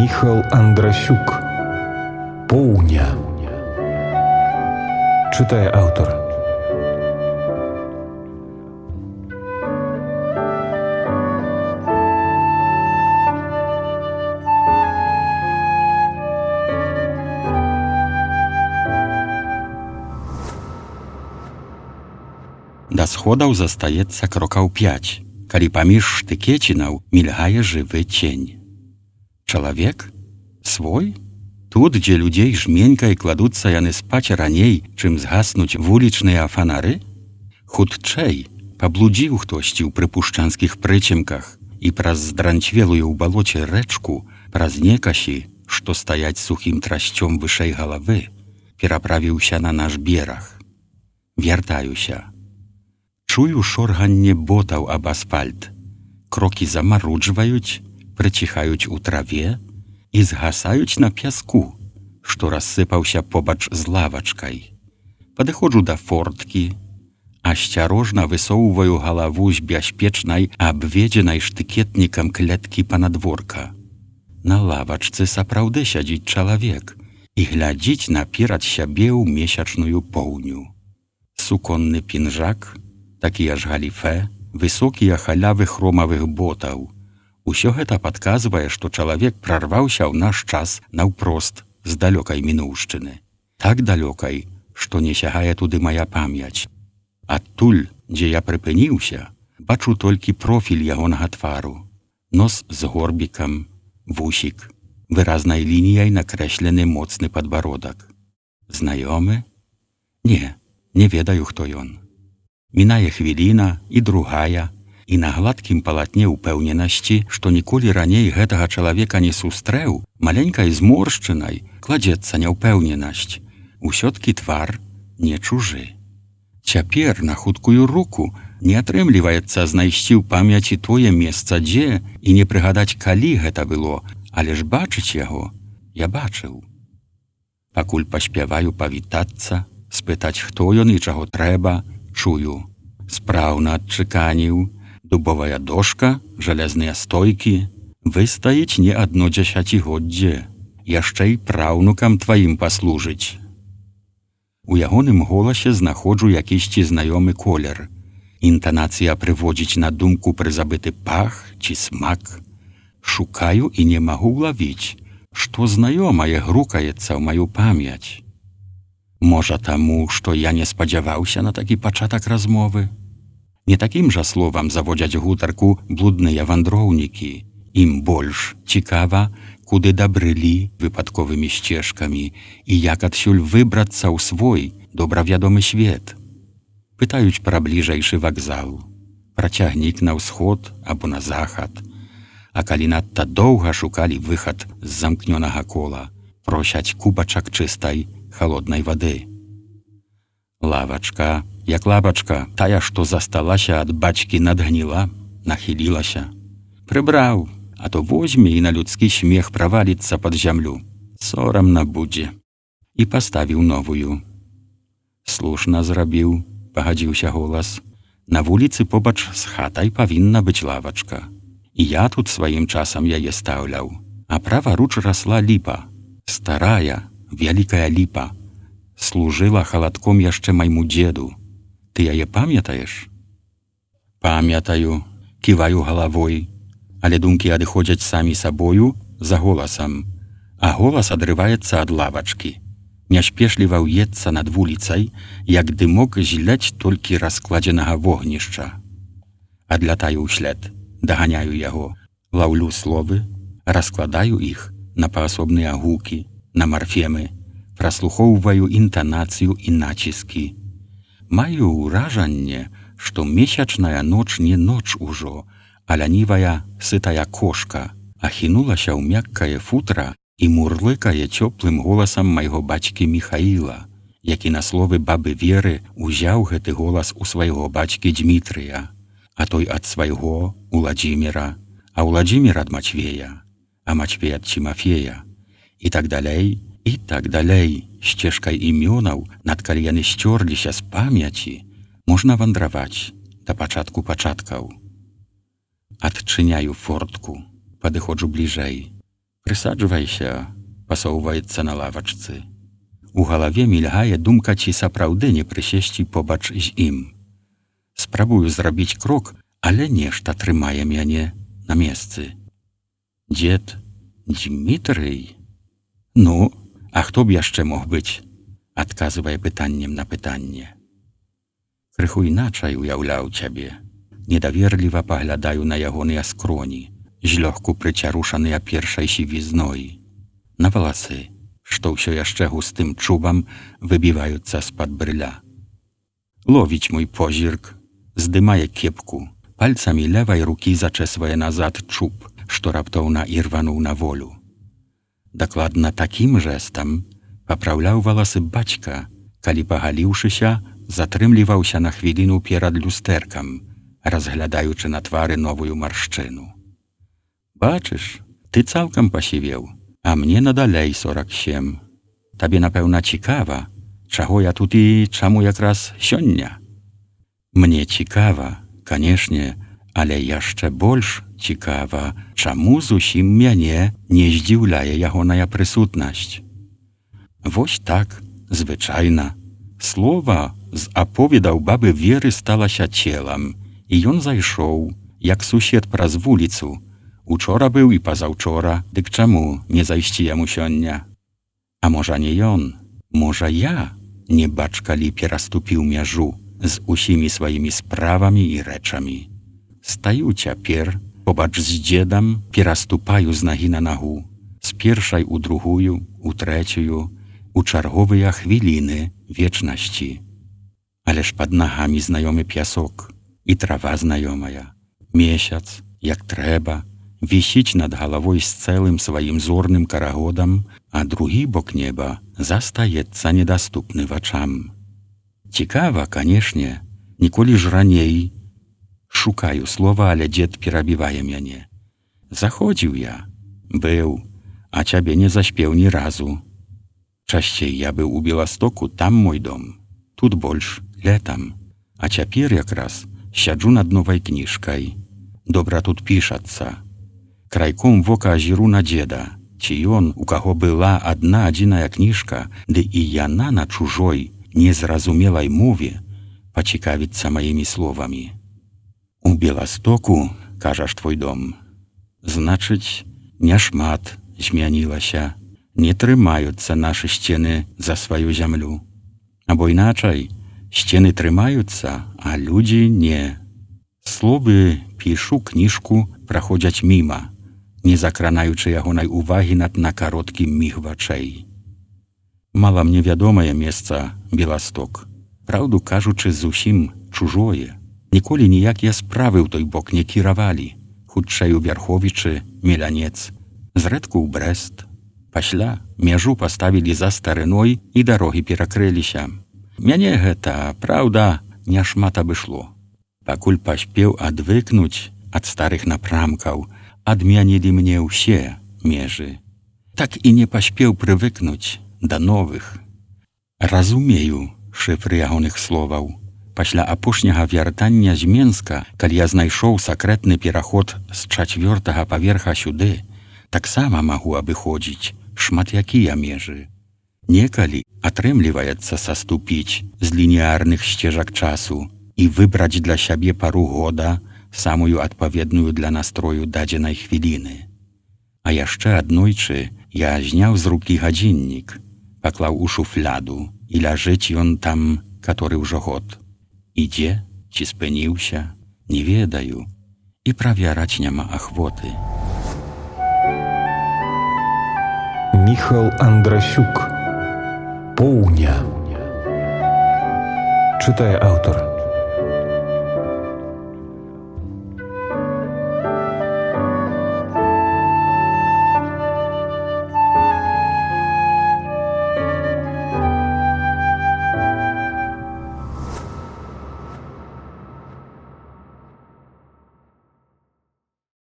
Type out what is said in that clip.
Міхал Андрасюк. Поўня. Чытае аўтар. Да сходаў застаецца крокаў 5, калі паміж штыкецінаў мільгае жывы цень. Чалавек? Свой? Тут, дзе людзей жменькай кладуцца яны спаць раней, чым згаснуць вулічныя фанары? Хутчэй, паблудзіў хтосьці ў прыпушчанскіх прычымках і праз здранчвелую ў балоце рэчку, праз некасі, што стаяць сухім трасцём вышэй галавы, пераправіўся на наш бераг. Вяртаюся. Чую шорганне ботаў аб асфальт. Крокі замаруджваюць, прыціхаюць у траве і згасаюць на пяску, што рассыпаўся побач з лавачкай. Падыходжу да форткі, асцярожна высоўваю галаву з бяспечнай, абведзенай штыкетнікам клеткі панадворка. На лавачцы сапраўды сядзіць чалавек і глядзіць наперад сябе ў месячную поўню. Суконны пінжак, такія ж галіфэ, высокія халявы хромавых ботаў. Усё гэта падказвае, што чалавек прарваўся ў наш час наўпрост з далёкай мінуўшчыны. Так далёкай, што не сягае туды мая памяць. Адтуль, дзе я прыпыніўся, бачу толькі профіль ягонага твару. Нос з горбікам, вусік, выразнай лініяй накрэслены моцны падбародак. Знаёмы? Не ведаю, хто ён. Мінае хвіліна і другая, і на гладкім палатне ўпэўненасці, што ніколі раней гэтага чалавека не сустрэў, маленькай зморшчынай кладзецца няўпэўненасць. Усё-ткі твар не чужы. Цяпер на хуткую руку не атрымліваецца знайсці ў памяці тое месца, дзе, і не прыгадаць, калі гэта было, але ж бачыць яго я бачыў. Пакуль паспяваю павітацца, спытаць, хто ён і чаго трэба, чую. Спраўна адчыканіў, дубовая дошка, жалязныя стойкі, выстаіць не адно дзесяцігоддзе, яшчэ і праўнукам тваім паслужыць. У ягоным голасе знаходжу якісьці знаёмы колер. Інтанацыя прыводзіць на думку прызабыты пах ці смак. Шукаю і не магу ўлавіць, што знаёмае грукаецца ў маю памяць. Можа таму, што я не спадзяваўся на такі пачатак размовы? Не такім жа словам заводзяць гутарку блудныя вандроўнікі. Ім больш цікава, куды дабрылі выпадковымі сцежкамі і як адсюль выбрацца ў свой добравядомы свет. Пытаюць пра бліжэйшы вакзал, пра цягнік на ўсход або на захад. А калі надта доўга шукалі выхад з замкнёнага кола, просяць кубачак чыстай халоднай вады. Лавачка, як лавачка, тая, што засталася ад бацькі, надгніла, нахілілася. Прыбраў, а то возьме і на людскі смех праваліцца пад зямлю. Сорамна будзе. І паставіў новую. Слушна зрабіў, пагадзіўся голас. На вуліцы побач з хатай павінна быць лавачка. І я тут сваім часам яе стаўляў. А праваруч расла ліпа. Старая, вялікая ліпа. Служыла халадком яшчэ майму дзеду. Ты яе памятаеш? Памятаю, ківаю галавой, але думкі адыходзяць самі сабою за голасам, а голас адрываецца ад лавачкі. Няспешліва ўецца над вуліцай, як дымок зляць толькі раскладзенага вогнішча. Адлятаю ўслед, даганяю яго, лаўлю словы, раскладаю іх на паасобныя гукі, на марфемы, праслухоўваю інтанацыю і націскі. Маю ўражанне, што месячная ноч не ноч ужо, а лянівая сытая кошка ахінулася ў мяккае футра і мурлыкае цёплым голасам майго бацькі Міхаіла, які на словы бабы Веры узяў гэты голас у свайго бацькі Дзмітрыя, а той ад свайго Уладзіміра, а Уладзімір ад Мацвея, а Мацвей ад Цімафея, і так далей, і так далей, сцежкай імёнаў, над калі яны сцёрліся з памяці, можна вандраваць да пачатку пачаткаў. Адчыняю фортку, падыходжу бліжэй. Прысаджвайся, пасоўваецца на лавачцы. У галаве мільгае думка, ці сапраўды не прысесці побач з ім. Спрабую зрабіць крок, але нешта трымае мяне на месцы. Дзед Дмітрый? Ну, а хто б яшчэ мог быць? Адказвае пытаннем на пытанне. Крыху іначай уяўляў цябе. Недаверліва паглядаю на ягоныя скроні, злёгку прыцярушаныя першай сівізной. На валасы, што ўсё яшчэ густым чубам выбіваюцца з-пад брыля. Ловіць мой позірк, здымае кепку, пальцамі левай рукі зачэсвае назад чуб, што раптоўна ірвануў на волю. Дакладна такім жэстам папраўляў валасы бацька, калі, пагаліўшыся, затрымліваўся на хвіліну перад люстэркам, разглядаючы на твары новую маршчыну. Бачыш, ты цалкам пасівеў, а мне надалей 47. Табе, напэўна, цікава, чаго я тут і чаму якраз сёння? Мне цікава, канешне, але яшчэ больш цікава, чаму зусім мяне не здзіўляе ягоная прысутнасць. Вось так, звычайна, слова з аповедаў бабы Веры сталася целам, і ён зайшоў, як сусед праз вуліцу. Учора быў і пазаўчора, дык чаму не зайсці яму сёння? А можа не ён, можа я, не бач калі пераступіў мяжу з усімі сваімі справамі і рэчамі. Стаю цяпер, побач з дзедам, пераступаю з нагі на нагу, з першай у другую, у трэцюю, у чарговыя хвіліны вечнасці. Але ж пад нагамі знаёмы пясок, і трава знаёмая. Месяц, як трэба, вісіць над галавой з цэлым сваім зорным карагодам, а другі бок неба застаецца недаступны вачам. Цікава, канешне, ніколі ж раней. Шукаю слова, але дзед перабівае мяне. Заходзіў я, быў, а цябе не заспеў ні разу. Часцей я быў у Беластоку, там мой дом, тут больш летам, а цяпер якраз сяджу над новай кніжкай. Добра тут пішацца. Крайком вока азіру на дзеда, ці ён, у каго была адна адзіная кніжка, ды і яна на чужой, незразумелай мове пацікавіцца маімі словамі. У Беластоку, кажаш, твой дом. Значыць, няшмат змянілася, не трымаюцца нашы сцены за сваю зямлю. Або іначай, сцены трымаюцца, а людзі не. Словы пішу кніжку праходзяць міма, не закранаючы ягонай увагі на кароткі міг вачэй. Мала мне вядомае месца Беласток, праўду кажучы, зусім чужое. Ніколі ніякія справы ў той бок не кіравалі, хутчэй у Вярховічы, Мелянец, зрэдку ў Брэст. Пасля мяжу паставілі за старыной і дарогі перакрыліся. Мяне гэта, праўда, няшмат абышло. Пакуль паспеў адвыкнуць ад старых напрамкаў, адмянілі мне ўсе межы. Так і не паспеў прывыкнуць да новых. Разумею шыфры ягоных словаў. Пасля апошняга вяртання з Менска, калі я знайшоў сакрэтны пераход з 4-го паверха сюды, таксама магу абыходзіць шмат якія межы. Некалі атрымліваецца саступіць з лініярных сцежак часу і выбраць для сябе пару года, самую адпаведную для настрою дадзенай хвіліны. А яшчэ аднойчы я зняў з рукі гадзіннік, паклаў у шуфляду, і ляжыць ён там, каторы ўжо год. Ідзе, ці спыніўся, не ведаю, і правяраць няма ахвоты. Міхал Андрасюк. Поўня. Чытае аўтар.